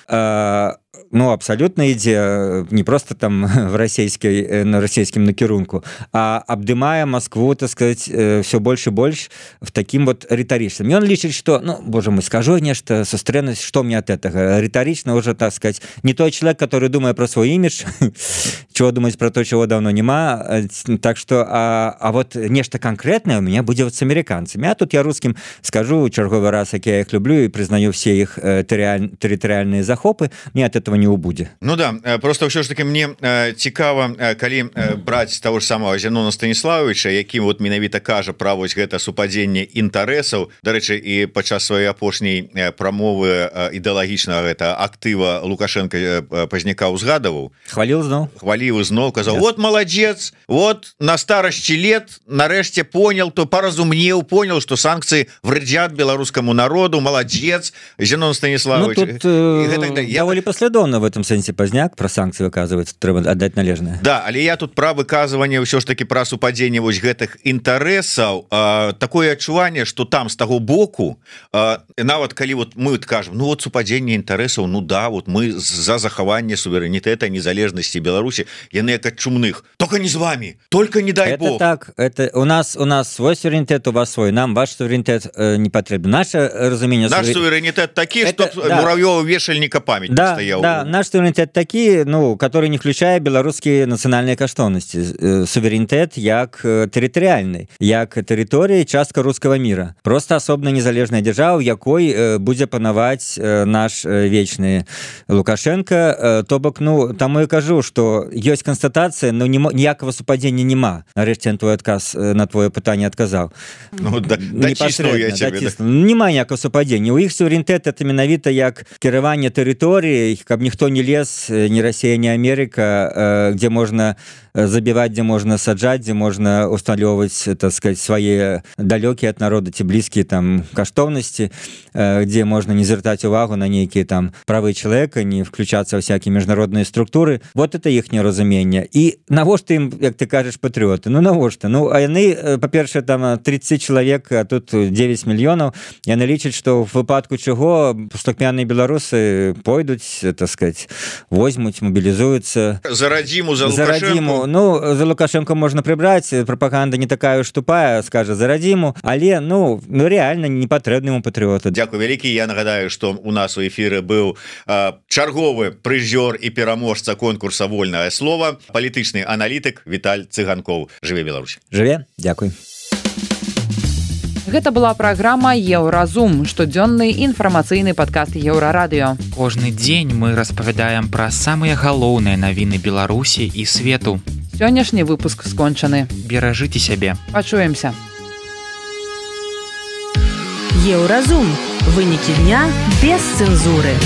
абсолютно ідзе не просто там на расійскім накірунку, а абдымае Москву, так сказать, все больше и больше в таким вот ритаричным. И он лічыць, что, боже мой, скажу нечто, сустрэнусь, что мне от этого? Риторично уже, так сказать, не тот человек, который думает про свой имидж, чего думать про то, чего давно нема. Так что, а вот нечто конкретное у меня будет вот с американцами. А тут я русским скажу черговый раз, как я их люблю и признаю все их территориальные захопы. Мне от этого этого не убудзе. Ну да, просто ўсё ж таки мне цікава, калі браць того ж самого Зенона Станіславовича, які вот менавіта кажа пра вось гэта супадзенне інтарэсаў. Дарэчы, і падчас сваёй апошняй прамовы ідэалагічнага гэта актыва Лукашенко пазняка ўзгадаваў, хваліў зноў, казаў: вот молодец, вот на старасці лет нарэшце понял, то поразумнеў, понял, что санкции вредят беларускаму народу, молодец, Зенон Станіславович. Ну, тут даволі паслядоўна в этом сэнсе пазняк про санкции выказваецца, трэба аддаць належнае. Да, але я тут пра выказванне ўсё ж таки пра супадзенне вось гэтых інтарэсаў, такое адчуванне, что там з таго боку, нават калі вот мы кажам, ну вот супадзенне інтарэсаў, ну да, вот мы за захаванне суверэнітэта, незалежнасці Беларусі, яны як ад чумных, только не з вами, только не дай это бог. Так, это у нас свой суверэнітэт, у вас свой, нам ваш суверэнітэт не патрэбен. Наше разуменне, наш суверэнітэт такі, что да. Муравьёва вешальніка памятник да, стаяў. Да, наш суверэнітэт такі, ну, который не включае беларускія нацыянальныя каштоўнасці. Суверэнітэт як тэрытарыяльны, як тэрыторыя, частка рускага мира. Просто асобна незалежная дзяржава, якой будзе панаваць наш вечны Лукашенко. То бок, ну, таму я кажу, что ёсць канстатацыя, но ніякага супадзення няма. Нарэшце я твой адказ на твоё пытанне адказаў. Ну, дачіснуў я цябе. Няма ніякага супадзення. У іх суверэнітэт это менавіта як кіраванне тэрыторыяй, каб ніхто не лез, ні Расія, ні Амерыка, дзе можна забіваць, дзе можна саджаць, дзе можна усталёўваць, так сказать, свае далёкія ад народа ці блізкія там каштоўнасці, дзе можна не звяртаць увагу на нейкія там правы чалавека, не включацца ў всякие міжнародныя структуры. Вот это іхняе разуменне. І навошта ім, як ты кажаш, патрыоты? Ну навошта? Ну, а яны, па-першае, там 30 чалавек, а тут 9 мільёнаў. Яны лічаць, што в выпадку чаго пустакмяныя беларусы пойдуць, так сказать, возьмуць, мобілізуюцца. За Радзіму, за Лукашенко. Ну, за Лукашенко можна прыбраць, прапаганда не такая уж тупая, скажа за Радзіму, але, ну реально не патрэбны ему патрыоты. Дзякуй вялікі. Я нагадаю, што у нас у эфіры быў чарговы прызёр і пераможца конкурса «Вольнае слово», палітычны аналітык Віталь Цыганкоў. Жыве Беларусь. Жыве, дзякуй. Гэта была праграма «Еўразум», штодзённы інфармацыйны падкаст Еўрарадыё. Кожны дзень мы распавядаем пра самыя галоўныя навіны Беларусі і свету. Сённяшні выпуск скончаны. Беражыце сябе. Пачуемся. Еўразум. Вынікі дня без цэнзуры.